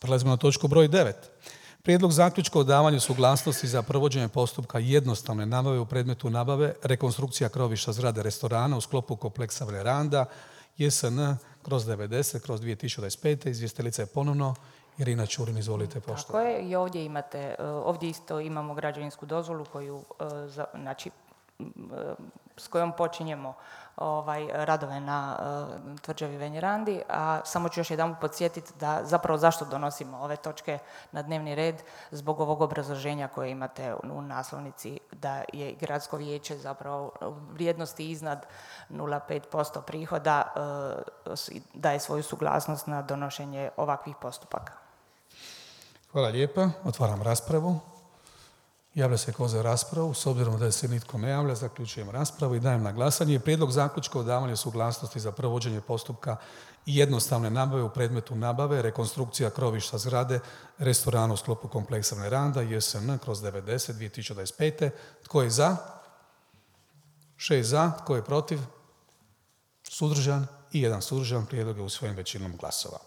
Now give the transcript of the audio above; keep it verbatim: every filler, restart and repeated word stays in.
Prelazimo na točku broj devet. Prijedlog zaključka o davanju suglasnosti za provođenje postupka jednostavne nabave u predmetu nabave rekonstrukcija krovišta zgrade restorana u sklopu kompleksa Veranda J S N kroz devedeset kroz dvije tisuće dvadeset pet. Izvjestiteljica je ponovno Irina Čurin, izvolite poštovana. Tako je, i ovdje imate, ovdje isto imamo građevinsku dozvolu koju, znači, s kojom počinjemo ovaj, radove na uh, tvrđavi Venjerandi, a samo ću još jedan podsjetiti da zapravo zašto donosimo ove točke na dnevni red, zbog ovog obrazloženja koje imate u naslovnici da je gradsko vijeće zapravo vrijednosti iznad nula zarez pet posto prihoda uh, daje svoju suglasnost na donošenje ovakvih postupaka. Hvala lijepa. Otvaram raspravu. Javlja se ko za raspravu. S obzirom da se nitko ne javlja, zaključujem raspravu i dajem na glasanje prijedlog zaključka o davanju suglasnosti za provođenje postupka jednostavne nabave u predmetu nabave rekonstrukcija krovišta zgrade restorana u sklopu kompleksa Veranda J S N kroz devedeset dvije tisuće dvadeset pet. Tko je za? Šest za. Tko je protiv? Suzdržan? I jedan suzdržan. Prijedlog je usvojen većinom glasova.